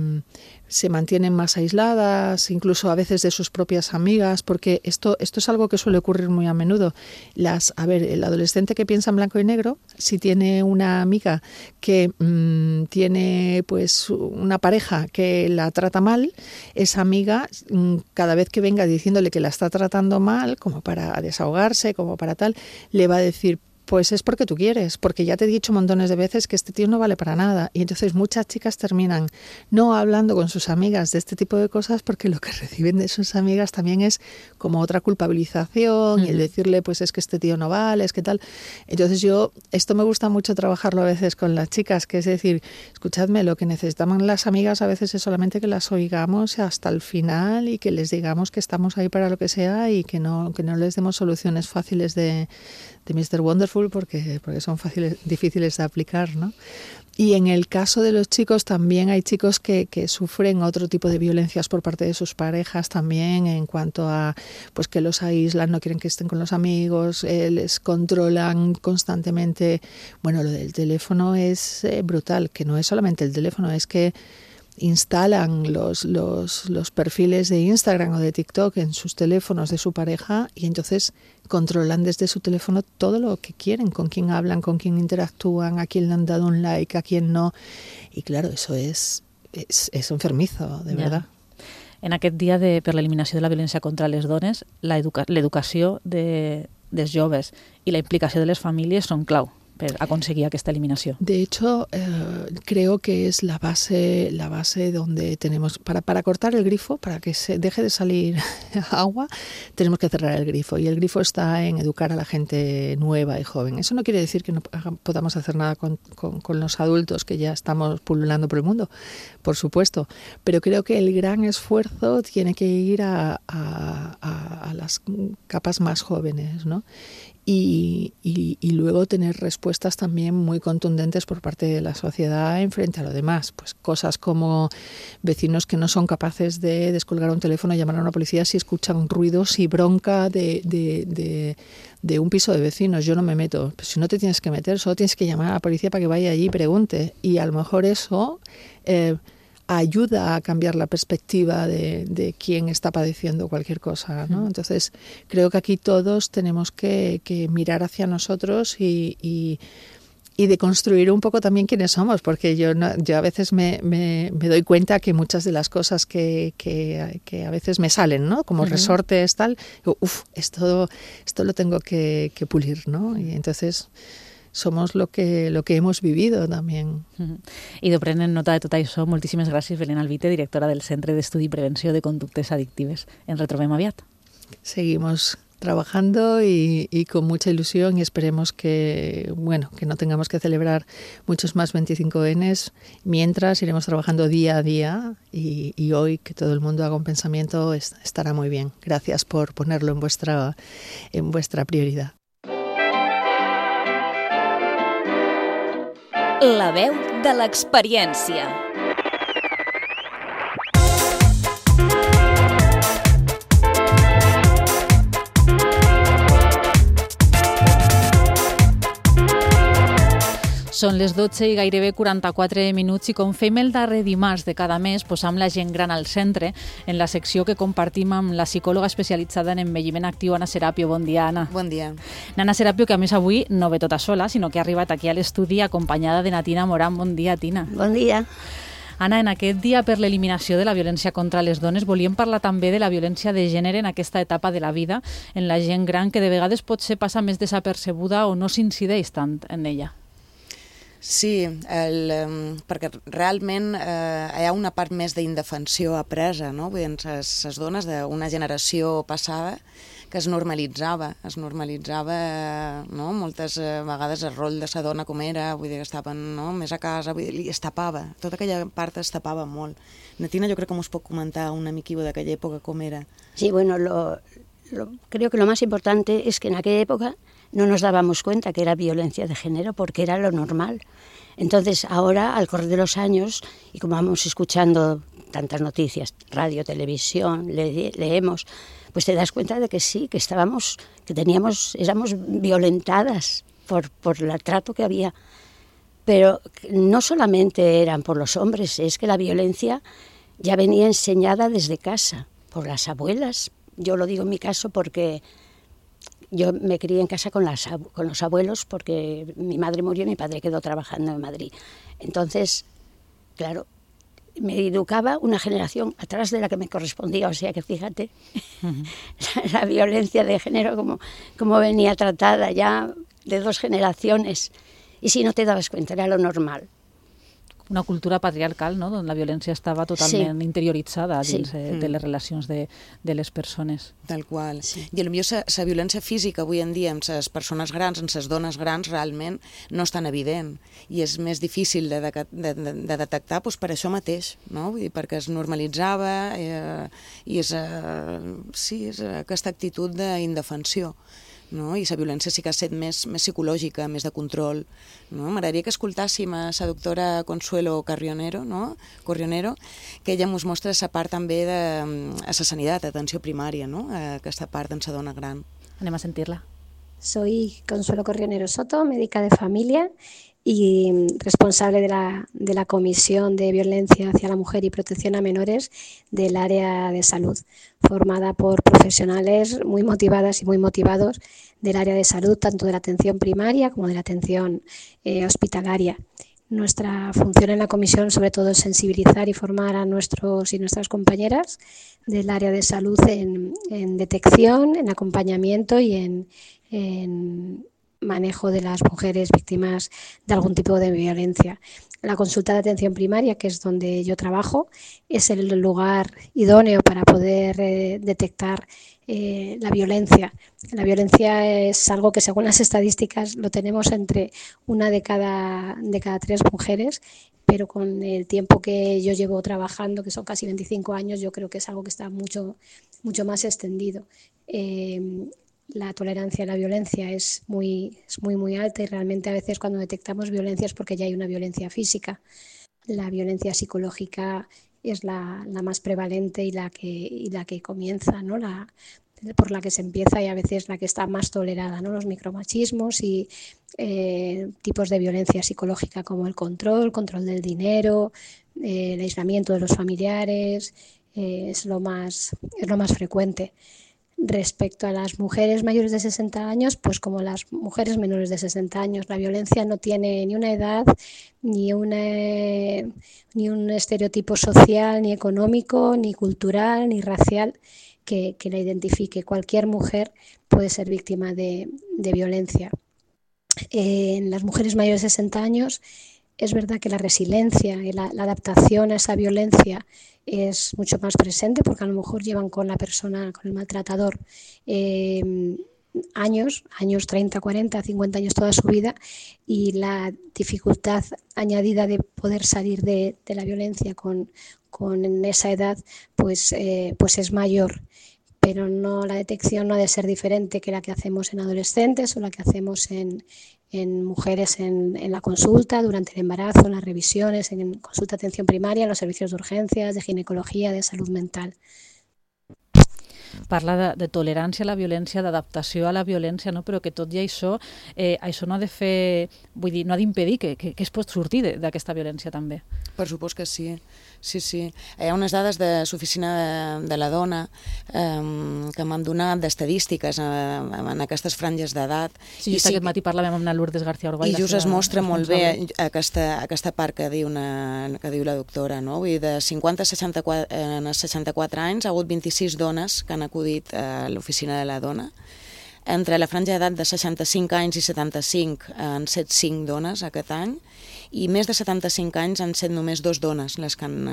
se mantienen más aisladas, incluso a veces de sus propias amigas, porque esto es algo que suele ocurrir muy a menudo. El adolescente que piensa en blanco y negro, si tiene una amiga que tiene pues una pareja que la trata mal, esa amiga, cada vez que venga diciéndole que la está tratando mal, como para desahogarse, como para tal, le va a decir: pues es porque tú quieres, porque ya te he dicho montones de veces que este tío no vale para nada. Y entonces muchas chicas terminan no hablando con sus amigas de este tipo de cosas porque lo que reciben de sus amigas también es como otra culpabilización y el decirle, pues es que este tío no vale, es que tal. Entonces esto me gusta mucho trabajarlo a veces con las chicas, que es decir, escuchadme, lo que necesitamos las amigas a veces es solamente que las oigamos hasta el final y que les digamos que estamos ahí para lo que sea y que no les demos soluciones fáciles de Mr. Wonderful porque son difíciles de aplicar, ¿no? Y en el caso de los chicos también hay chicos que sufren otro tipo de violencias por parte de sus parejas también, en cuanto a pues que los aíslan, no quieren que estén con los amigos, les controlan constantemente. Bueno, lo del teléfono es brutal, que no es solamente el teléfono, es que instalan los perfiles de Instagram o de TikTok en sus teléfonos de su pareja y entonces controlan desde su teléfono todo lo que quieren, con quién hablan, con quién interactúan, a quién le han dado un like, a quién no. Y claro, eso es enfermizo, de verdad. En aquest dia per l'eliminació de la violència contra les dones, l'educació dels joves i la implicació de les famílies són clau per aconseguir aquesta eliminació. De hecho, creo que es la base donde tenemos, para cortar el grifo, para que se deje de salir agua, tenemos que cerrar el grifo. Y el grifo está en educar a la gente nueva y joven. Eso no quiere decir que no podamos hacer nada con los adultos que ya estamos pululando por el mundo, por supuesto. Pero creo que el gran esfuerzo tiene que ir a las capas más jóvenes, ¿no? Y luego tener respuestas también muy contundentes por parte de la sociedad en frente a lo demás. Pues cosas como vecinos que no son capaces de descolgar un teléfono y llamar a una policía si escuchan ruidos y bronca de un piso de vecinos. Yo no me meto. Pues si no te tienes que meter, solo tienes que llamar a la policía para que vaya allí y pregunte. Y a lo mejor eso ayuda a cambiar la perspectiva de quién está padeciendo cualquier cosa, ¿no? Entonces, creo que aquí todos tenemos que mirar hacia nosotros y de construir un poco también quiénes somos, porque yo a veces me doy cuenta que muchas de las cosas que a veces me salen, ¿no? Como resortes, tal, esto lo tengo que pulir, ¿no? Y entonces somos lo que hemos vivido también. I prenent nota de tot això, moltíssimes gràcies, Belén Albite, directora del Centre d'Estudi i Prevenció de Conductes Adictives. Ens retrobem aviat. Seguimos trabajando y con mucha ilusión y esperemos que no tengamos que celebrar muchos más 25Ns. Mientras iremos trabajando día a día y hoy que todo el mundo haga un pensamiento estará muy bien. Gracias por ponerlo en vuestra prioridad. La veu de l'experiència. Són les 12 i gairebé 44 minuts i com fem el darrer dimarts de cada mes, posam la gent gran al centre en la secció que compartim amb la psicòloga especialitzada en envelliment actiu, Anna Serapio. Bon dia, Anna. Bon dia. Anna Serapio, que a més avui no ve tota sola, sinó que ha arribat aquí a l'estudi acompanyada de Tina Morán. Bon dia, Tina. Bon dia. Anna, en aquest dia per l'eliminació de la violència contra les dones volíem parlar també de la violència de gènere en aquesta etapa de la vida, en la gent gran, que de vegades potser passa més desapercebuda o no s'incideix tant en ella. Sí, perquè realment hi ha una part més d'indefensió apresa, no? Vull dir, les dones d'una generació passada que es normalitzava, no? Moltes vegades el rol de la dona com era, vull dir que estaven més a casa, vull dir, es tapava, tota aquella part es tapava molt. Natina, jo crec que us pot comentar una miquillo d'aquella època com era. Sí, bueno, creo que lo más importante es que en aquella época no nos dábamos cuenta que era violencia de género porque era lo normal. Entonces ahora, al correr de los años, y como vamos escuchando tantas noticias, radio, televisión, leemos, pues te das cuenta de que sí, que éramos violentadas por el trato que había. Pero no solamente eran por los hombres, es que la violencia ya venía enseñada desde casa, por las abuelas. Yo lo digo en mi caso porque yo me crié en casa con los abuelos porque mi madre murió y mi padre quedó trabajando en Madrid. Entonces, claro, me educaba una generación atrás de la que me correspondía, o sea que fíjate, la violencia de género como venía tratada ya de 2 generaciones, y si no te dabas cuenta era lo normal. Una cultura patriarcal, no?, on la violència estava totalment interioritzada dins de les relacions de les persones. Tal qual. Sí. I potser la violència física avui en dia amb les persones grans, amb les dones grans, realment no és tan evident i és més difícil de detectar per això mateix, no? Vull dir, perquè es normalitzava i és aquesta actitud d'indefensió. No? I la violència sí que ha estat més psicològica, més de control. No? M'agradaria que escoltàssim a la doctora Consuelo Corrionero, que ella ens mostra la part també de la sanitat, atenció primària, no? Aquesta part en la dona gran. Anem a sentir-la. Soy Consuelo Corrionero Soto, médica de familia y responsable de la Comisión de Violencia hacia la Mujer y Protección a Menores del área de salud, formada por profesionales muy motivadas y muy motivados del área de salud, tanto de la atención primaria como de la atención hospitalaria. Nuestra función en la comisión sobre todo es sensibilizar y formar a nuestros y nuestras compañeras del área de salud en detección, en acompañamiento y en manejo de las mujeres víctimas de algún tipo de violencia. La consulta de atención primaria, que es donde yo trabajo, es el lugar idóneo para poder detectar la violencia. La violencia es algo que, según las estadísticas, lo tenemos entre 1 de cada 3 mujeres, pero con el tiempo que yo llevo trabajando, que son casi 25 años, yo creo que es algo que está mucho más extendido. La tolerancia a la violencia es muy alta y realmente a veces cuando detectamos violencia es porque ya hay una violencia física. La violencia psicológica es la más prevalente y la que comienza, ¿no? Por la que se empieza y a veces la que está más tolerada, ¿no? Los micromachismos y tipos de violencia psicológica como el control del dinero, el aislamiento de los familiares, es lo más frecuente. Respecto a las mujeres mayores de 60 años, pues como las mujeres menores de 60 años, la violencia no tiene ni una edad, ni un estereotipo social, ni económico, ni cultural, ni racial que la identifique. Cualquier mujer puede ser víctima de violencia. En las mujeres mayores de 60 años es verdad que la resiliencia y la adaptación a esa violencia es mucho más presente porque a lo mejor llevan con la persona, con el maltratador, años, 30, 40, 50 años toda su vida, y la dificultad añadida de poder salir de la violencia con esa edad pues es mayor. Pero la detección no ha de ser diferente que la que hacemos en adolescentes o la que hacemos en mujeres en la consulta, durante el embarazo, en las revisiones, en consulta de atención primaria, en los servicios de urgencias, de ginecología, de salud mental. parla de tolerància a la violència, d'adaptació a la violència, no? Però que tot i això, això no ha de fer, vull dir, no ha d'impedir que es pot sortir d'aquesta violència també. Per supost que sí, sí. Hi ha unes dades de l'Oficina de la Dona que m'han donat d'estadístiques en aquestes franges d'edat. Sí, just aquest matí parlàvem amb la Lourdes García Orgall. I just es mostra molt bé aquesta part que diu la doctora, no? Vull dir, de 50 a 64 anys ha hagut 26 dones que han acudit a l'Oficina de la Dona. Entre la franja d'edat de 65 anys i 75 han set 5 dones aquest any, i més de 75 anys han set només 2 dones les que han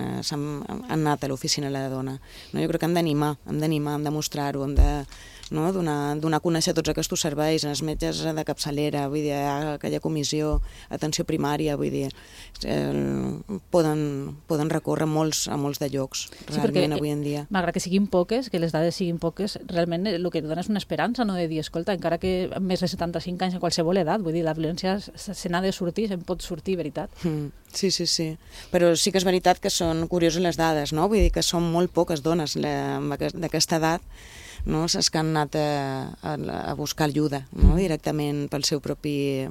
anat a l'Oficina de la Dona. No, jo crec que hem d'animar, hem de mostrar-ho, hem de donar a conèixer tots aquests serveis, els metges de capçalera, vull dir, aquella comissió, atenció primària, vull dir, poden recórrer a molts de llocs, realment, avui en dia. Malgrat que siguin poques, que les dades siguin poques, realment el que dona és una esperança, no de dir, escolta, encara que amb més de 75 anys en qualsevol edat, vull dir, la violència se n'ha de sortir, se'n pot sortir, veritat. Sí. Però sí que és veritat que són curioses les dades, no? Vull dir que són molt poques dones d'aquesta edat, no? És que han anat a buscar ajuda, no? Directament pel seu propi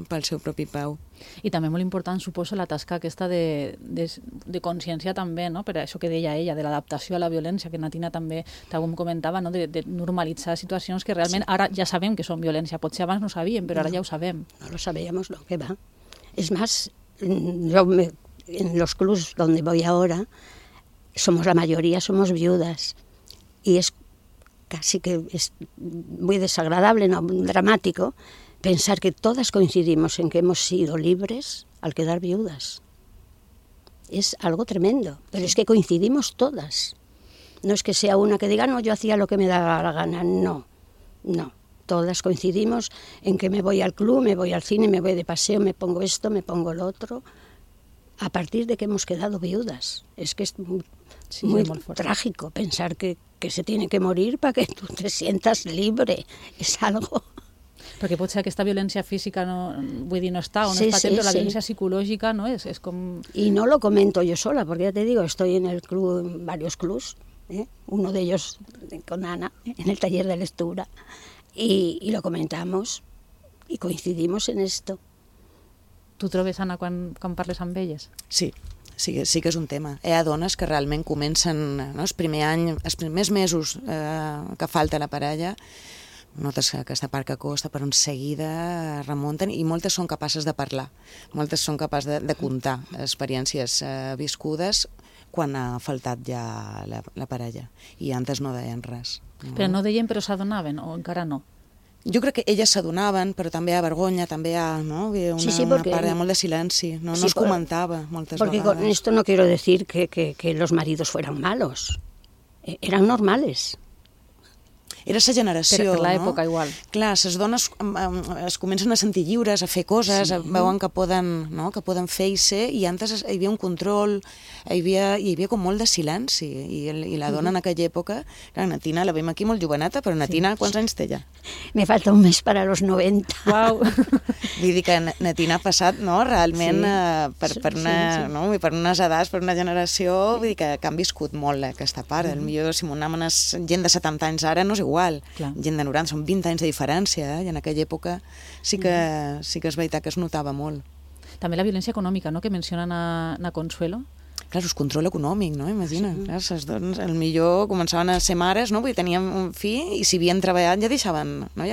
peu. I també molt important, suposo, la tasca aquesta de consciència també, no? Per això que deia ella, de l'adaptació a la violència, que Natina també com comentava, no? De normalitzar situacions que realment ara ja sabem que són violència. Potser abans no ho sabíem, però ara ja ho sabem. No lo sabíamos, no, que va. Es más, en los clubs donde voy ahora, la mayoría somos viudas. Y es casi que es muy desagradable, no dramático, pensar que todas coincidimos en que hemos sido libres al quedar viudas. Es algo tremendo, pero es que coincidimos todas. No es que sea una que diga, no, yo hacía lo que me daba la gana, no. Todas coincidimos en que me voy al club, me voy al cine, me voy de paseo, me pongo esto, me pongo lo otro, a partir de que hemos quedado viudas. Es que es muy trágico pensar que se tiene que morir para que tú te sientas libre. Es algo... Perquè potser aquesta violència física no està, o no es patent, però la violència psicològica no és com... Y no lo comento yo sola, porque ya te digo, estoy en el club, en varios clubs, uno de ellos con Ana, en el taller de lectura, y lo comentamos y coincidimos en esto. Tu trobes, Anna, quan parles amb elles? Sí que és un tema. Hi ha dones que realment comencen, no, el primer any, els primers mesos que falta la parella, notes que aquesta part que costa, però en seguida remunten, i moltes són capaces de parlar, moltes són capaces de contar experiències viscudes quan ha faltat ja la parella, i antes no deien res. Però no deien, però s'adonaven, o encara no? Jo crec que elles s'adonaven, però també hi ha vergonya, també hi ha una part de molt de silenci, no es comentava moltes vegades. Porque con esto no quiero decir que los maridos fueran malos, eran normales. Era la generació, per l'època, igual. Clar, les dones es comencen a sentir lliures, a fer coses, veuen que poden fer i ser, i antes hi havia un control, hi havia com molt de silenci, i la dona en aquella època, clar, Natina, la veiem aquí molt joveneta, però Natina, quants anys té ja? Me falta un mes para los 90. Uau! Vull dir que Natina ha passat, no?, realment per unes edats, per una generació, vull dir que han viscut molt aquesta part. Potser si m'ho anaven gent de 70 anys ara no és igual, gent de 90, són 20 anys de diferència, i en aquella època sí que és veritat que es notava molt. També la violència econòmica, no?, que mencionen a Consuelo. Clar, és control econòmic, no? Imagina. Clar, les dones, potser començaven a ser mares, no? Perquè tenien un fill i si havien treballat ja deixaven, no?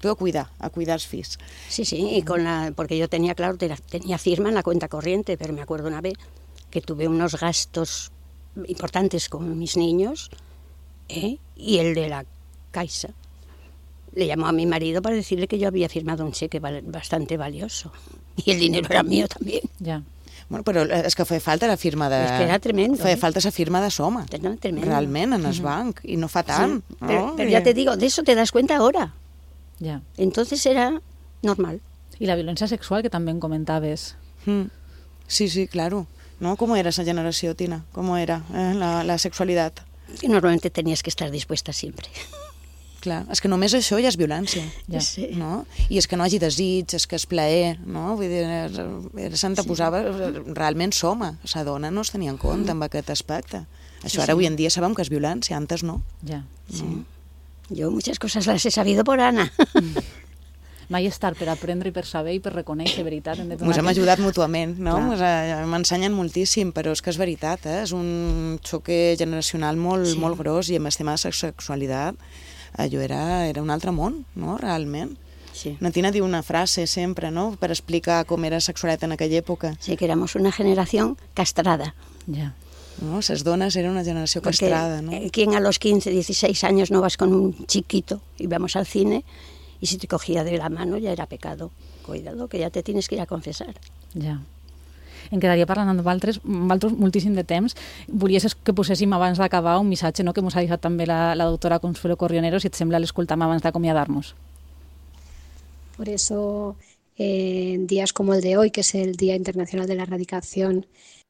Tu a cuidar els fills. Sí, y porque yo tenía firma en la cuenta corriente, pero me acuerdo una vez que tuve unos gastos importantes con mis niños, y el de la Caixa le llamó a mi marido para decirle que yo había firmado un cheque bastante valioso y el dinero era mío también. Ya. Bueno, però és que feia falta la firma de... És que era tremendo. Feia falta la firma de Soma. Era tremendo. Realment, en el banc. I no fa tant. Sí. Pero ya te digo, de eso te das cuenta ahora. Ya. Entonces era normal. I la violència sexual, que també en comentaves. Sí, claro. ¿No? ¿Cómo era esa generación, Tina? ¿Cómo era la sexualidad? Que normalmente tenías que estar dispuesta siempre. Clar, és que només això ja és violència, no? I és que no hagi desig, és que és plaer, no? Vull dir, s'anteposava realment Soma, la dona no es tenia en compte amb aquest aspecte. Això ara avui en dia sabem que és violència, antes no. Ja, sí. Yo muchas cosas las he sabido por Ana. Mai és tard per aprendre i per saber i per reconèixer, veritat. Ens hem ajudat mútuament, no? M'ensenyen moltíssim, però és que és veritat, és un xoque generacional molt gros, i amb el tema de sexualitat allò era un altre món, no? Realment. Sí. Na Tina diu una frase sempre, no?, per explicar com era sexualitat en aquella època. Sí, que éramos una generación castrada. Ya. No, esas donas eran una generación castrada, ¿no? ¿Quién a los 15, 16 años no vas con un chiquito y vamos al cine y si te cogía de la mano ya era pecado? Cuidado, que ya te tienes que ir a confesar. Ja. Em quedaria parlant amb vosaltres moltíssim de temps. Volies que poséssim abans d'acabar un missatge, no?, que ens ha deixat també la doctora Consuelo Corrionero, si et sembla l'escoltam abans d'acomiadar-nos. Por eso, en días como el de hoy, que es el Día Internacional de la Erradicación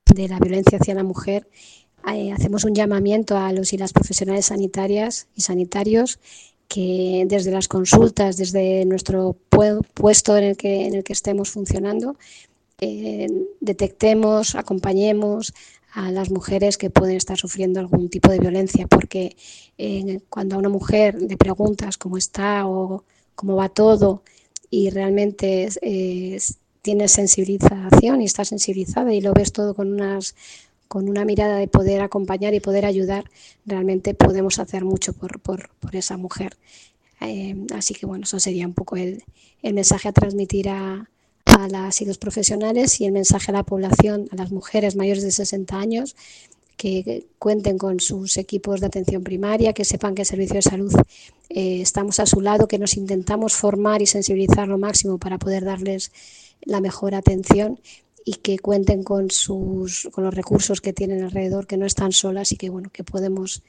de la Violencia hacia la Mujer, hacemos un llamamiento a los y las profesionales sanitarias y sanitarios que desde las consultas, desde nuestro puesto en el que estemos funcionando, detectemos, acompañemos a las mujeres que pueden estar sufriendo algún tipo de violencia, porque cuando a una mujer le preguntas cómo está o cómo va todo y realmente tiene sensibilización y está sensibilizada y lo ves todo con una mirada de poder acompañar y poder ayudar, realmente podemos hacer mucho por esa mujer. Así que bueno, eso sería un poco el mensaje a transmitir a las y los profesionales, y el mensaje a la población, a las mujeres mayores de 60 años, que cuenten con sus equipos de atención primaria, que sepan que el Servicio de Salud estamos a su lado, que nos intentamos formar y sensibilizar lo máximo para poder darles la mejor atención, y que cuenten con los recursos que tienen alrededor, que no están solas y que bueno, que podemos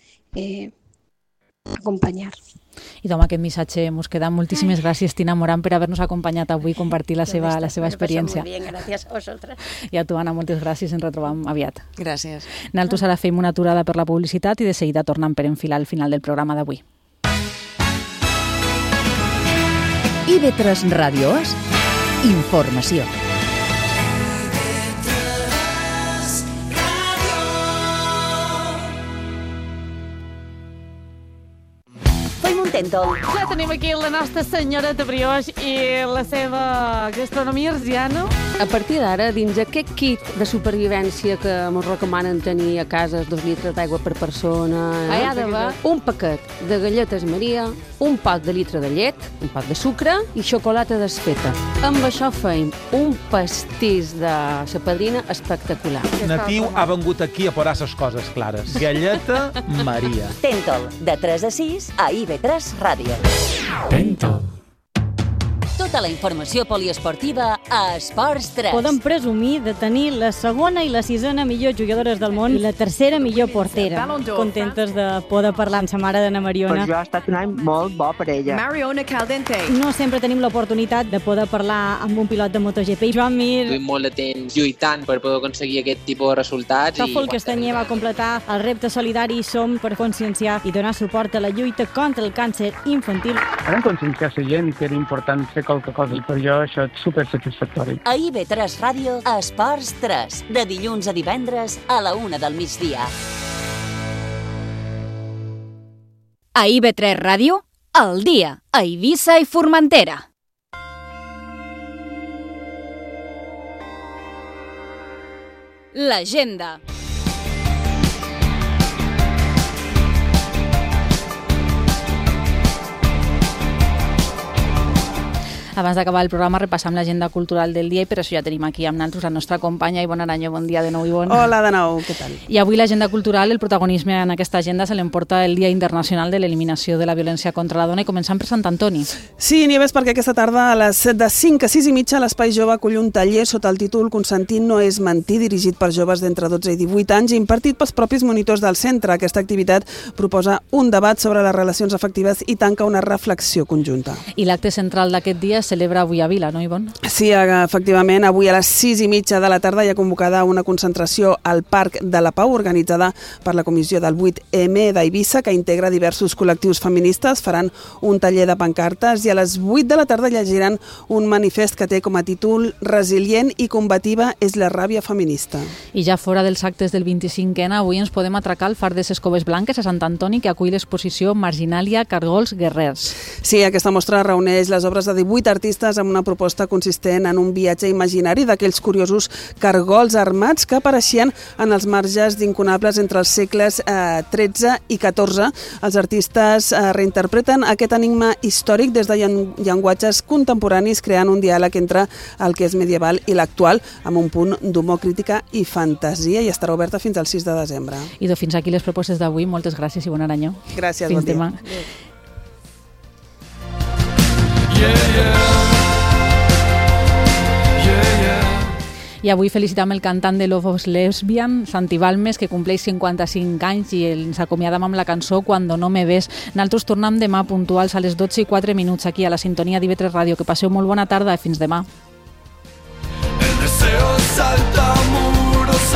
acompanyar. I amb aquest missatge ens queda. Moltíssimes gràcies, Tina Morán, per haver-nos acompanyat avui i compartir la seva experiència. Muy bien, gracias a vosotras. I a tu, Anna, moltes gràcies, ens retrobam aviat. Gràcies. Nosaltres ara fem una aturada per la publicitat i de seguida tornem per enfilar al final del programa d'avui. IB3 Ràdio És informació. Ja tenim aquí la nostra senyoreta brioix i la seva gastronomia arsiana. A partir d'ara, dins aquest kit de supervivència que ens recomanen tenir a casa, 2 litres d'aigua per persona, hi ha d'haver un paquet de galletes Maria, un pot de litre de llet, un pot de sucre i xocolata desfeta. Amb això feim un pastís de sa padrina espectacular. Natiu ha vengut aquí a posar les coses clares. Galleta Maria. Tentol, de 3 a 6 a IB3 Ràdio. Tentol. Tota la informació poliesportiva a Esports 3. Podem presumir de tenir la segona i la sisena millor jugadores del món i la tercera millor portera. Contentes de poder parlar amb sa mare d'Anna Mariona. Per jo ha estat un any molt bo per ella. Mariona Caldente. No sempre tenim l'oportunitat de poder parlar amb un pilot de MotoGP. Joan Mir. Estic molt de temps lluitant per poder aconseguir aquest tipus de resultats. Tòfol Castanyer va completar el repte solidari Som per conscienciar i donar suport a la lluita contra el càncer infantil. Vam conscienciar la gent que era important fer qualque cosa i per jo això és supersatisfactori. A IB3 Ràdio, a Esports 3, de dilluns a divendres a la 1 del migdia. A IB3 Ràdio, al dia, a Eivissa i Formentera. L'agenda. Abans d'acabar el programa repassam l'agenda cultural del dia i per això ja tenim aquí amb nosaltres la nostra companya Ivonne Aranyo. Bon dia de nou, Ivonne. Hola de nou, què tal? I avui l'agenda cultural, el protagonisme en aquesta agenda se l'emporta el Dia Internacional de l'Eliminació de la Violència contra la Dona i començam per Sant Antoni. Sí, Nieves, perquè aquesta tarda a les 5 a 6 i mitja l'Espai Jove acull un taller sota el títol Consentint no és mentir, dirigit per joves d'entre 12 i 18 anys i impartit pels propis monitors del centre. Aquesta activitat proposa un debat sobre les relacions afectives i tanca una reflexió conjunta. I l'acte central d'aquest dia celebra avui a Vila, no, Ivonne? Sí, efectivament, avui a les 6:30 de la tarda hi ha convocada una concentració al Parc de la Pau organitzada per la Comissió del 8M d'Eivissa, que integra diversos col·lectius feministes. Faran un taller de pancartes i a les 8 de la tarda llegiran un manifest que té com a títol Resilient i combativa és la ràbia feminista. I ja fora dels actes del 25N, avui ens podem atracar al Far de ses Coves Blanques a Sant Antoni, que acull l'exposició Marginalia, Cargols, Guerrers. Sí, aquesta mostra reuneix les obres de 18 artistes amb una proposta consistent en un viatge imaginari d'aquells curiosos cargols armats que apareixien en els marges d'incunables entre els segles XIII i XIV. Els artistes reinterpreten aquest enigma històric des de llenguatges contemporanis, creant un diàleg entre el que és medieval i l'actual, amb un punt d'humor, crítica i fantasia, i estarà oberta fins al 6 de desembre. I fins aquí les propostes d'avui. Moltes gràcies i bon any. Gràcies, fins bon dia. Demà. I avui felicitam el cantant de Love of Lesbian, Santi Balmes, que compleix 55 anys i ens acomiadam amb la cançó Cuando no me ves. Nosaltres tornem demà puntuals a les 12:04 aquí a la sintonia d'IV3 Ràdio. Que passeu molt bona tarda i fins demà. El deseo salta muros